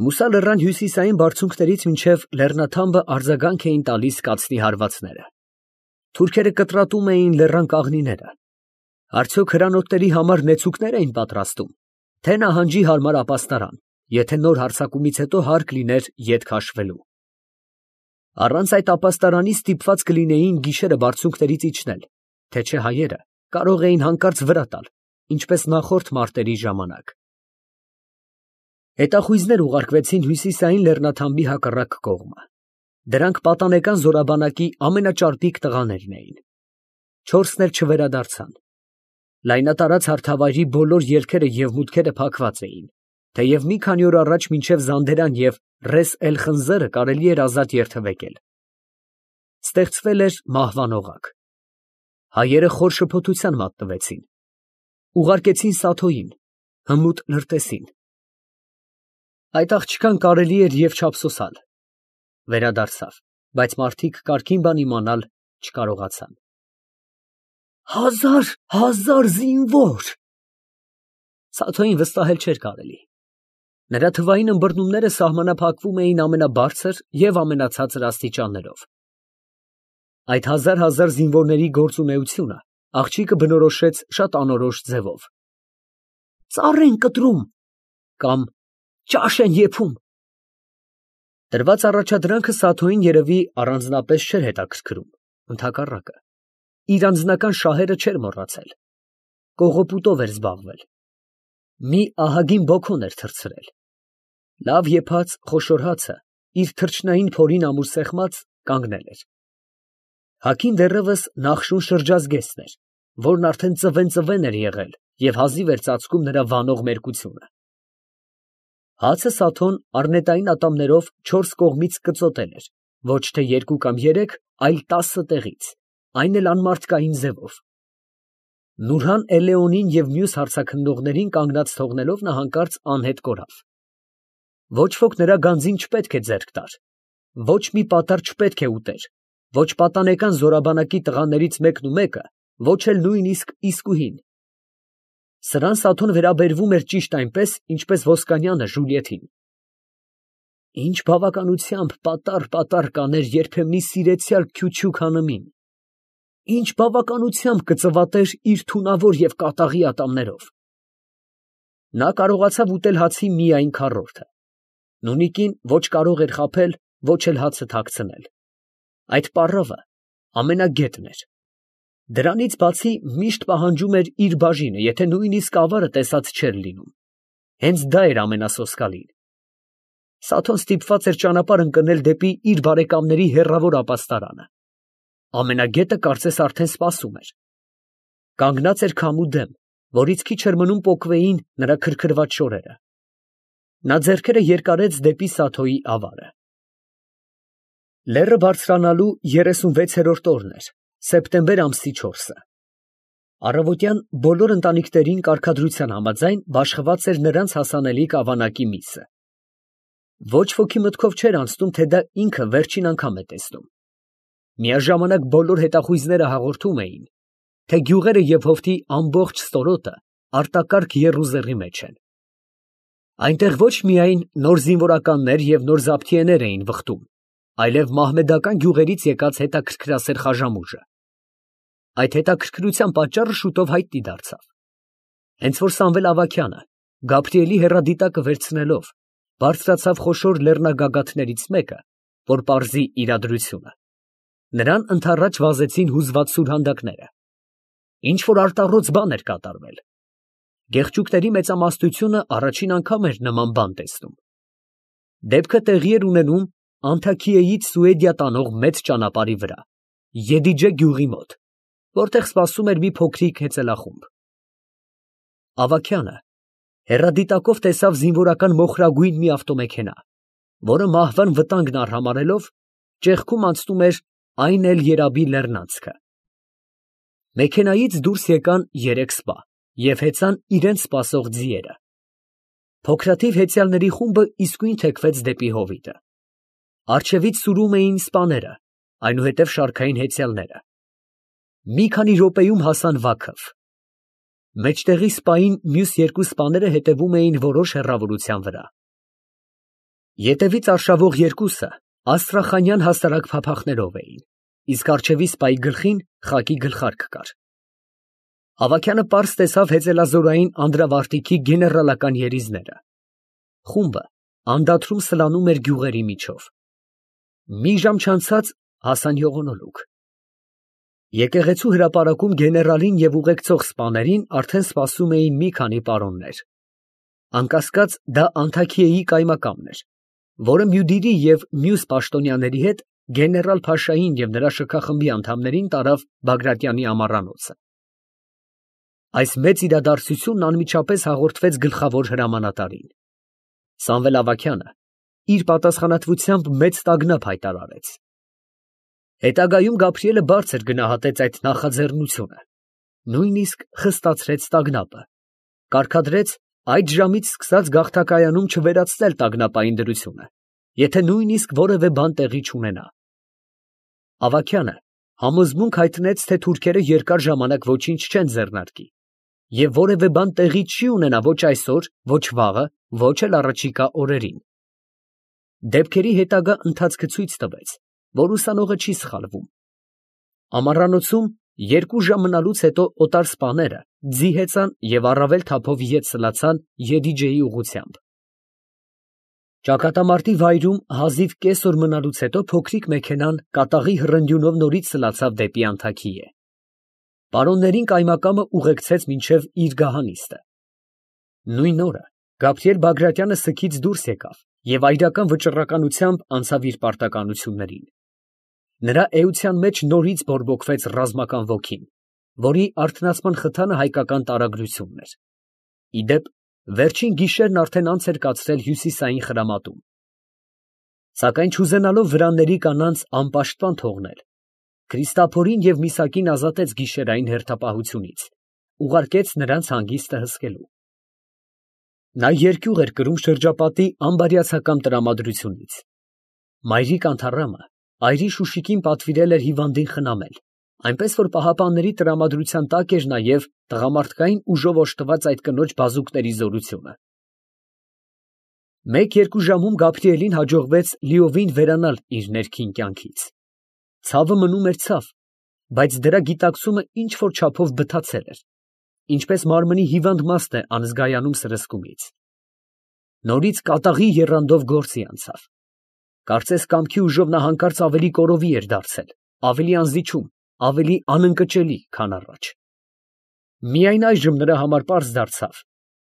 Մուսա լեռան հյուսիսային բարձունքներից մինչև լեռնաթամբը արձագանք էին տալիս կացնի հարվածները։ Թուրքերը կտրատում էին լեռան կաղնիները։ Արդյոք հրանոթների համար նեցուկներ էին պատրաստում, թե նահանջի հարմար ապաստարան, եթե նոր հարձակումից հետո հարկ լիներ ետ քաշվելու։ Առանց այդ ապաստարանի ստիպված կլինեին գիշերը բարձունքներից իջնել, թե չէ հայերը կարող էին հանկարծ վրա տալ, ինչպես նախորդ մարտերի ժամանակ։ Հետախույզներ ուղարկվեցին հյուսիսային լեռնաթամբի հակառակ կողմը։ Դրանք պատանեկան զորաբանակի ամենաճարպիկ տղաներն էին։ Չորսն էլ չվերադարձան։ Լայնատարած հարթավայրի բոլոր ելքերը և մուտքերը փակված էին, թեև մի քանի օր առաջ մինչև Զանդերան և Ռես էլ Խնձորը կարելի էր ազատ երթևեկել։ Ստեղծվել էր մահվան օղակ։ Հայերը խոր շփոթության մատնվեցին։ Ուղարկեցին Սաթոյին, հմուտ լրտեսին։ Այդ աղջկան կարելի էր և չափսոսալ։ Վերադարձավ, բայց մարդիկ կարգին բան իմանալ չկարողացան։ 1000 զինվոր։ Սաթոյին վստահել չէր կարելի։ Նրա թվային ըմբռնումները սահմանափակվում էին ամենաբարձր և ամենացածր աստիճաններով։ Այդ հազար զինվորների գործունեությունը աղջիկը բնորոշեց շատ անորոշ ձևով։ Ծառ են կտրում կամ ճաշ են եփում։ Տրված առաջադրանքը Սաթոյին երևի առանձնապես չէր հետաքրքրում, ընդհակառակը, իր անձնական շահերը չէր մոռացել, կողոպուտով էր զբաղվել, մի ահագին բոքոն էր թռցրել, լավ եփած խոշոր հացը իր թրջնային փորին ամուր կանգնել էր։ Հագին դեռևս նախշուն շրջազգեստն էր, որն արդեն ծվեն էր եղել և հազիվ էր ծածկում նրա վանող մերկությունը։ Հացը Սաթոն առնետային ատամներով 4 կողմից կծոտել էր, ոչ թե 2 կամ 3, այլ 10 տեղից, այն էլ անմարդկային ձևով։ Նուրհան Էլեոնին և մյուս հարձաքննողներին կանգնած թողնելով նա հանկարծ անհետ կորավ։ Ոչ ոք նրա գանձին չպետք է ձեռք տար, ոչ մի պատառ չպետք է ուտեր, ոչ պատանեկան զորաբանակի տղաներից մեկը, ոչ էլ նույնիսկ իսկուհին։ Սրան Սաթոն վերաբերվում էր ճիշտ այնպես, ինչպես Ոսկանյանը Ժուլիետին։ Ինչ բավականությամբ պատառ կաներ երբեմնի սիրեցյալ Քյучուք հանըմին, ինչ բավականությամբ կծվատեր իր թունավոր և կատաղի ատամներով։ Նա կարողացավ ուտել հացի միայն քառորդը։ Նունիկին ոչ կարող էր խաբել, ոչ էլ հացը թաքցնել։ Այդ պառավը ամենագետն էր։ Դրանից բացի միշտ պահանջում էր իր բաժինը, եթե նույնիսկ ավարը տեսած չէր լինում։ Հենց դա էր ամենասոսկալին։ Սաթոն ստիպված էր ճանապարհ ընկնել դեպի իր բարեկամների հեռավոր ապաստարանը։ Ամենագետը կարծես արդեն սպասում էր։ Կանգնած էր քամու դեմ, որից քիչ էր մնում պոկվեին նրա քրքրված շորերը։ Նա ձեռքերը երկարեց դեպի Սաթոյի ավարը։ Լեռը բարձրանալու 36-րդ օրն էր, սեպտեմբեր ամսի 4-ը։ Առավոտյան բոլոր ընտանիքներին կարգադրության համաձայն բաշխված էր նրանց հասանելիք ավանակի միսը։ Ոչ ոքի մտքով չէր անցնում, թե դա ինքը վերջին անգամ է տեսնում։ Միաժամանակ բոլոր հետախույզները հաղորդում էին, թե գյուղերը և հովտի ամբողջ ստորոտը արտակարգ եռուզեռի մեջ են։ Այնտեղ ոչ միայն նոր զինվորականներ և նոր զավթիեներ էին վխտում, այլև մահմեդական գյուղերից եկած հետաքրքրասեր խաժամուժը։ Այդ հետաքրքրության պատճառը շուտով հայտնի դարձավ։ Հենց որ Սամվել Ավագյանը, Գաբրիելի հեռադիտակը վերցնելով, բարձրացավ խոշոր լեռնագագաթներից մեկը, որ պարզի իրադրությունը, նրան ընդառաջ վազեցին հուզված սուրհանդակները։ Ինչ որ արտառոց բան էր կատարվել։ Գեղչուկների մեծամասնությունը առաջին անգամ էր նման բան տեսնում։ Դեպքը տեղի էր ունենում Անթաքիեից Սուեդիա տանող մեծ ճանապարհի վրա, Եդիջե գյուղի մոտ, որտեղ սպասում էր մի փոքրիկ հեծելախումբ։ Ավագյանը հեռադիտակով տեսավ զինվորական մոխրագույն մի ավտոմեքենա, որը մահվան վտանգն արհամարհելով, ճեղքում անցնում էր այն էլ Երաբի լեռնանցքը։ Մեքենայից դուրս եկան 3 սպա և հեծան իրենց սպասող ձիերը։ Փոքրաթիվ հեծյալների խումբը իսկույն թեքվեց դեպի հովիտը։ Առջևից սուրում էին սպաները, այնուհետև շարքային հեծյալները։ Մի քանի րոպեում հասան Վաքով։ Մեջտեղի սպային մյուս 2 սպաները հետևում էին որոշ հեռավորության վրա։ Ետևից արշավող երկուսը աստրախանյան հասարակ փափախներով էին, իսկ առջևի սպայի գլխին խակի գլխարկ կար։ Ավագյանը պարզ տեսավ հեծելազորային անդրավարտիքի գեներալական երիզները։ Խումբը անդադրում սլանում էր գյուղերի միջով։ Մի ժամ չանցած հասան յողոնոլուկ։ Եկեղեցու հրապարակում գեներալին և ուղեկցող սպաներին արդեն սպասում էին մի քանի պարոններ։ Անկասկած դա Անթաքիեի կայմակամն էր, որը Մյուդիրի և մյուս պաշտոնյաների հետ գեներալ Փաշային և նրա շքախմբի անդամներին տարավ Բագրատյանի ամառանոցը։ Այս մեծ իրադարձությունն անմիջապես հաղորդվեց գլխավոր հրամանատարին։ Սամվել Ավագյանը իր պատասխանատվությամբ մեծ տագնապ հայտարարեց։ Հետագայում Գաբրիելը բարձր գնահատեց այդ նախաձեռնությունը, նույնիսկ խստացրեց տագնապը, կարգադրեց այդ ժամից սկսած գաղթակայանում չվերացնել տագնապային դրությունը, եթե նույնիսկ որևէ բան տեղի չունենա։ Ավագյանը համոզմունք հայտնեց, թե թուրքերը երկար ժամանակ ոչինչ չեն ձեռնարկի, և որևէ բան տեղի չի ունենա ոչ այսօր, ոչ վաղը, ոչ էլ առաջիկա օրերին։ Դեպքերի հետագա ընթացքը ցույց տվեց, որ ուսանողը չի սխալվում։ Ամառանոցում 2 ժամ մնալուց հետո օտար սպաները ձի հեծան և առավել թափով ետ սլացան Եդիջեի ուղղությամբ։ Ճակատամարտի վայրում հազիվ կես օր մնալուց հետո փոքրիկ մեքենան կատաղի հռնդյունով նորից սլացավ դեպի Անթաքիե։ Պարոններին կայմակամը ուղեկցեց մինչև իր գահանիստը։ Նույն օրը Գաբրիել Բագրատյանը սգից դուրս եկավ և այրական վճռականությամբ անցավ իր պարտականություններին։ Նրա էության մեջ նորից բորբոքվեց ռազմական ոգին, որի արթնացման խթանը հայկական տարագրությունն էր։ Ի դեպ, վերջին գիշերն արդեն անց էր կացրել հյուսիսային խրամատում։ Սակայն չուզենալով վրանների կանանց անպաշտպան թողնել, Քրիստափորին և Միսակին ազատեց գիշերային հերթապահությունից, ուղարկեց նրանց հանգիստը հսկելու։ Նա երկյուղ էր կրում շրջապատի անբարյացակամ տրամադրությունից։ Մայրիկ Անթառամը այրի Շուշիկին պատվիրել էր հիվանդին խնամել, այնպես որ պահապանների տրամադրության տակ էր նաև տղամարդկային ուժով օժտված այդ կնոջ բազուկների զորությունը։ 1-2 ժամում Գաբրիելին հաջողվեց լիովին վերանալ իր ներքին կյանքից։ Ցավը մնում էր ցավ, բայց դրա գիտակցումը ինչ֊որ չափով բթացել էր, ինչպես մարմնի հիվանդ մասն է անզգայանում սրսկումից։ Նորից կատաղի եռանդով գործի անցավ։ Կարծես կամքի ուժով նա հանկարծ ավելի կորովի էր դարձել, ավելի անզիջում, ավելի անընկճելի, քան առաջ։ Միայն այժմ նրա համար պարզ դարձավ,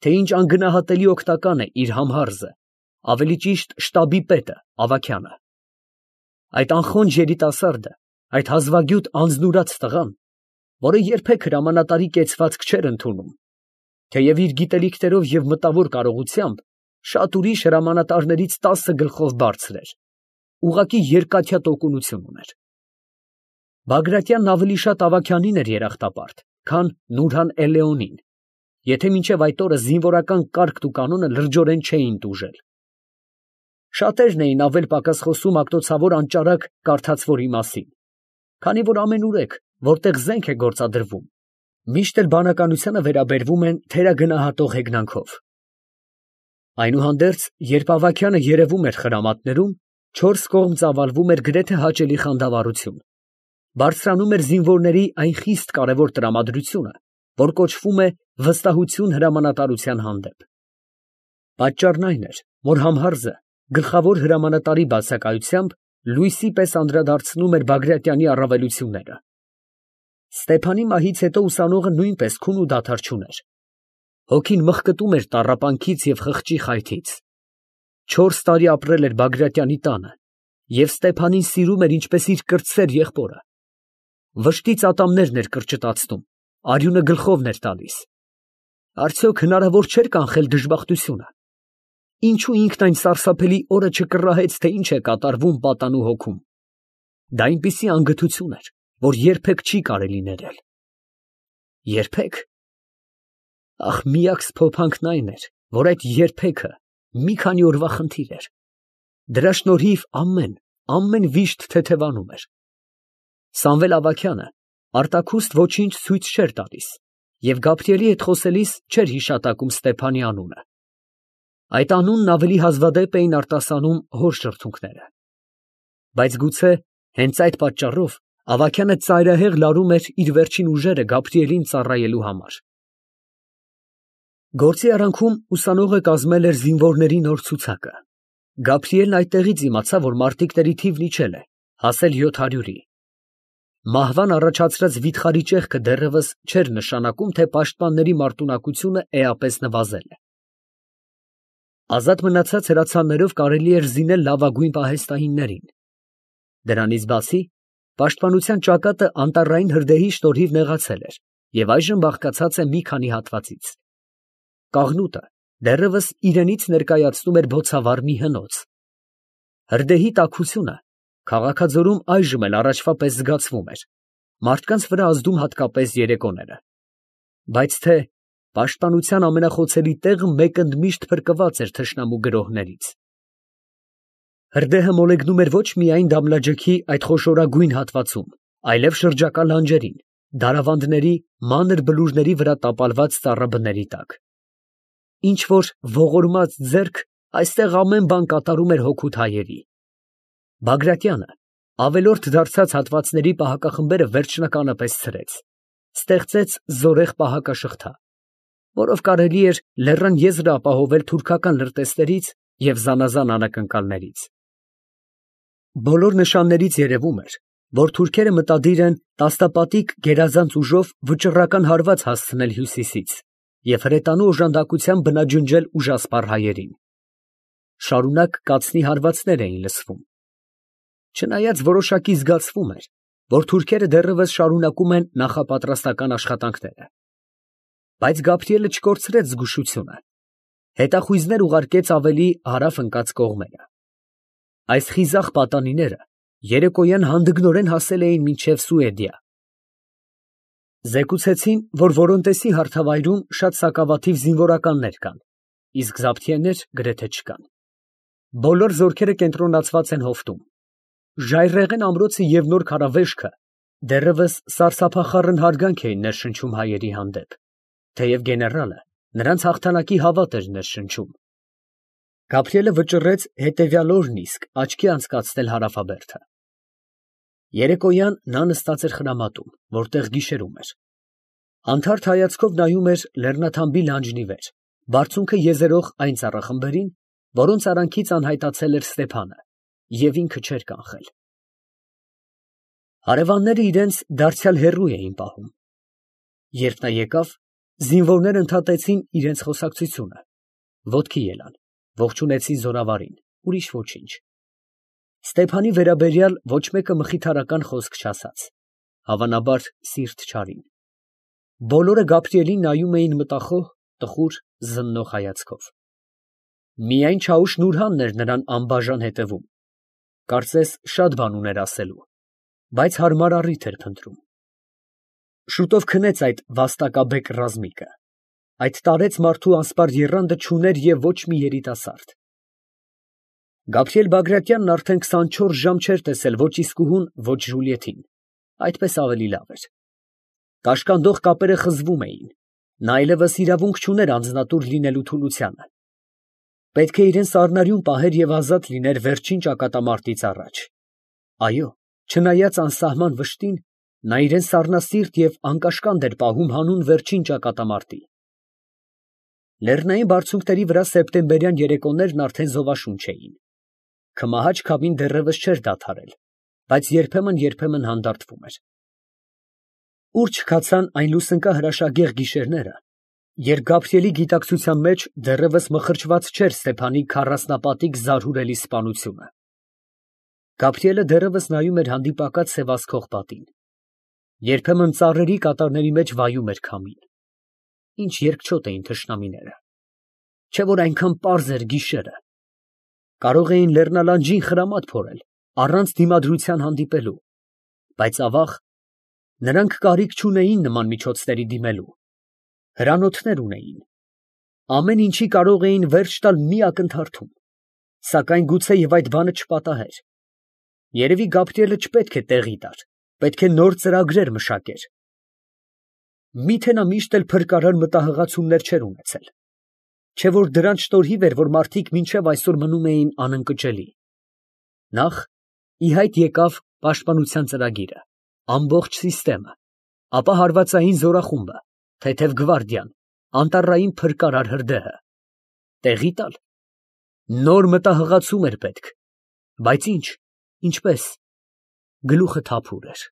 թե ինչ անգնահատելի օգնական է իր համհարզը, ավելի ճիշտ շտաբի պետը Ավագյանը։ Այդ անխոնջ երիտասարդը, այդ հազվագյուտ անձնուրաց տղան, որը երբեք հրամանատարի կեցվածք չէր ընդունում, թեև իր գիտելիքներով և մտավոր կարողությամբ շատ ուրիշ հրամանատարներից 10 գլխով բարձր էր, ուղղակի երկաթյա տոկունություն ուներ։ Բագրատյանն ավելի շատ Ավագյանին էր երախտապարտ, քան Նուրհան Էլեոնին, եթե մինչև այդ օրը զինվորական կարգն ու կանոնը լրջորեն չէին տուժել։ Շատերն էին ավել֊պակաս խոսում ակտոցավոր անճարակ կարդացվորի մասին, քանի որ ամենուրեք, որտեղ զենք է գործադրվում, միշտ էլ բանականությանը վերաբերվում են թերագնահատող հեգնանքով։ Այնուհանդերձ, երբ Ավագյանը երևում էր խրամատներում, 4 կողմ ծավալվում էր գրեթե հաճելի խանդավառություն, բարձրանում էր զինվորների այն խիստ կարևոր տրամադրությունը, որ կոչվում է վստահություն հրամանատարության հանդեպ։ Պատճառն այն էր, որ համհարզը գլխավոր հրամանատարի բացակայությամբ լույսի պես անդրադարձնում էր Բագրատյանի առավելությունները։ Ստեփանի մահից հետո ուսանողը նույնպես քուն ու դադար չուներ։ Հոգին մղկտում էր տառապանքից և խղճի խայթից։ 4 տարի ապրել էր Բագրատյանի տանը և Ստեփանին սիրում էր ինչպես իր կրտսեր եղբորը։ Վշտից ատամներն էր կրճտացնում, արյունը գլխովն էր տալիս։ Արդյոք հնարավոր չէր կանխել դժբախտությունը։ Ինչու ինքն այն սարսափելի օրը չկռահեց, թե ինչ է կատարվում պատանու հոգում։ Դա այնպիսի անգթություն էր, որ երբեք չի կարելի ներել։ Երբեք։ Ախ, միակ սփոփանքն այն էր, որ այդ երբեքը մի քանի օրվա խնդիր էր։ Դրա շնորհիվ ամեն վիշտ թեթևանում էր։ Սամվել Ավագյանը արտաքուստ ոչինչ ցույց չէր տալիս և Գաբրիելի հետ խոսելիս չէր հիշատակում Ստեփանի անունը։ Այդ անունն ավելի հազվադեպ էին արտասանում հոր շրթունքները։ Բայց գուցե հենց այդ պատճառով Ավագյանը ծայրահեղ լարում էր իր վերջին ուժերը Գաբրիելին ծառայելու համար։ Գործի արանքում ուսանողը կազմել էր զինվորների նոր ցուցակը։ Գաբրիելն այդտեղից իմացավ, որ մարտիկների թիվն իջել է, հասել 700-ի։ Մահվան առաջացրած վիթխարի ճեղքը դեռևս չէր նշանակում, թե պաշտպանների մարտունակությունը էապես նվազել է։ Ազատ մնացած հրացաններով կարելի էր զինել լավագույն պահեստահիններին։ Դրանից բացի, պաշտպանության ճակատը անտառային հրդեհի շնորհիվ նեղացել էր և այժմ բաղկացած է մի քանի հատվածից։ Կաղնուտը դեռևս իրենից ներկայացնում էր բոցավառ մի հնոց։ Հրդեհի տաքությունը քաղաքաձորում այժմ էլ առաջվա պես զգացվում էր, մարդկանց վրա ազդում հատկապես երեկոները։ Բայց թե պաշտպանության ամենախոցելի տեղը մեկընդմիշտ փրկված էր թշնամու գրոհներից։ Հրդեհը մոլեգնում էր ոչ միայն Դամլաջեքի այդ խոշորագույն հատվածում, այլև շրջակա լանջերին, դարավանդների, մանր բլուրների վրա տապալված ծառաբների տակ։ Ինչ որ ողորմած ձեռք այստեղ ամեն բան կատարում էր հօգուտ հայերի։ Բագրատյանը ավելորդ դարձած հատվածների պահակախմբերը վերջնականը պես ցրեց, ստեղծեց զորեղ պահակաշղթա, որով կարելի էր լեռան եզրը ապահովել թուրքական լրտեսներից և զանազան անակնկալներից։ Բոլոր նշաններից երևում էր, որ թուրքերը մտադիր են տասնապատիկ գերազանց ուժով վճռական հարված հասցնել հյուսիսից և հրետանու օժանդակությամբ բնաջնջել ուժասպառ հայերին։ Շարունակ կացնի հարվածներ էին լսվում։ Չնայած որոշակի զգացվում էր, որ թուրքերը դեռևս շարունակում են նախապատրաստական աշխատանքները։ Բայց Գաբրիելը չկորցրեց զգուշությունը։ Հետախույզներ ուղարկեց ավելի հարավ ընկած կողմերը։ Այս խիզախ պատանիները երեկոյան հանդգնորեն հասել էին մինչև Սուեդիա։ Զեկուցեցին, որ Որոնտեսի հարթավայրում շատ սակավաթիվ զինվորականներ կան, իսկ զաբթիեներ գրեթե չկան։ Բոլոր զորքերը կենտրոնացված են հովտում։ Ժայռերեն ամրոցը և նոր քարավեշքը դեռևս սարսափախառն հարգանք էին ներշնչում հայերի հանդեպ, թեև գեներալը նրանց հաղթանակի հավատ էր ներշնչում։ Գաբրիելը վճռեց հետևյալ օրն իսկ աչքի անցկացնել հարավաբերդը։ Երեկոյան նա նստած էր խրամատում, որտեղ գիշերում էր։ Անթարթ հայացքով նայում էր լեռնաթամբի լանջն ի վեր, բարձունքը եզերող այն ծառախմբերին, որոնց արանքից անհայտացել էր Ստեփանը, և ինքը չէր կանխել։ Հարևանները իրենց դարձյալ հեռու էին պահում։ Երբ նա եկավ, զինվորները ընդհատեցին իրենց խոսակցությունը, ոտքի ելան, ողջունեցին զորավարին, ուրիշ ոչինչ։ Ստեփանի վերաբերյալ ոչ մեկը մխիթարական խոսք չասաց, հավանաբար սիրտ չարին։ Բոլորը Գաբրիելին նայում էին մտախոհ, տխուր, զննող հայացքով։ Միայն Չաուշ Նուրհանն էր նրան անբաժան հետևում, կարծես շատ բան ուներ ասելու, բայց հարմար առիթ էր փնտրում։ Շուտով քնեց այդ վաստակաբեկ ռազմիկը, այդ տարեց մարդու անսպար եռանդը չուներ և ոչ մի երիտասարդ։ Գաբրիել Բագրատյանն արդեն 24 ժամ չէր տեսել ոչ իսկուհուն, ոչ Ժուլիեթին, այդպես ավելի լավ էր։ Կաշկանդող կապերը խզվում էին, նա այլևս իրավունք չուներ անձնատուր լինելու թուլությանը։ Պետք է իրեն սառնարյուն պահեր և ազատ լիներ վերջին ճակատամարտից առաջ։ Այո, չնայած անսահման վշտին, նա իրեն սառնասիրտ և անկաշկանդ էր պահում հանուն վերջին ճակատամարտի։ Լեռնային բարձունքների վրա սեպտեմբերյան երեկոներն արդեն զովաշունչ էին։ Քմահաճ քամին դեռևս չէր դադարել, բայց երբեմն հանդարտվում էր։ Ուր չքացան այն լուսնկա հրաշագեղ գիշերները, երբ Գաբրիելի գիտակցության մեջ դեռևս մխրճված չէր Ստեփանի քառասնապատիկ զարհուրելի սպանությունը։ Գաբրիելը դեռևս նայում էր հանդիպակաց սևազքող պատին։ Երբեմն ծառերի կատարների մեջ վայում էր քամին։ Ինչ երկչոտ էին թշնամիները։ Չէ՞ որ այնքան պարզ էր գիշերը։ Կարող էին լեռնալանջին խրամատ փորել, առանց դիմադրության հանդիպելու, բայց ավաղ, նրանք կարիք չունեին նման միջոցների դիմելու։ Հրանոթներ ունեին։ Ամեն ինչի կարող էին վերջ տալ մի ակնթարթում, սակայն գուցեև այդ բանը չպատահեր։ Երևի Գաբրիելը չպետք է տեղի տար, պետք է նոր ծրագրեր մշակեր։ Մի՞թե նա միշտ էլ փրկարար մտահղացումներ չէր ունեցել։ Չէ որ դրանց շնորհիվ էր, որ մարդիկ մինչև այսօր մնում էին անընկճելի։ Նախ ի հայտ եկավ պաշտպանության ծրագիրը, ամբողջ ապա հարվածային զորախումբը, թեթև գվարդիան, անտառային փրկարար հրդեհը։ Տեղի տալ։ Նոր մտահղացում էր պետք, բայց ի՞նչ, ինչպես, գլուխը թափուր էր։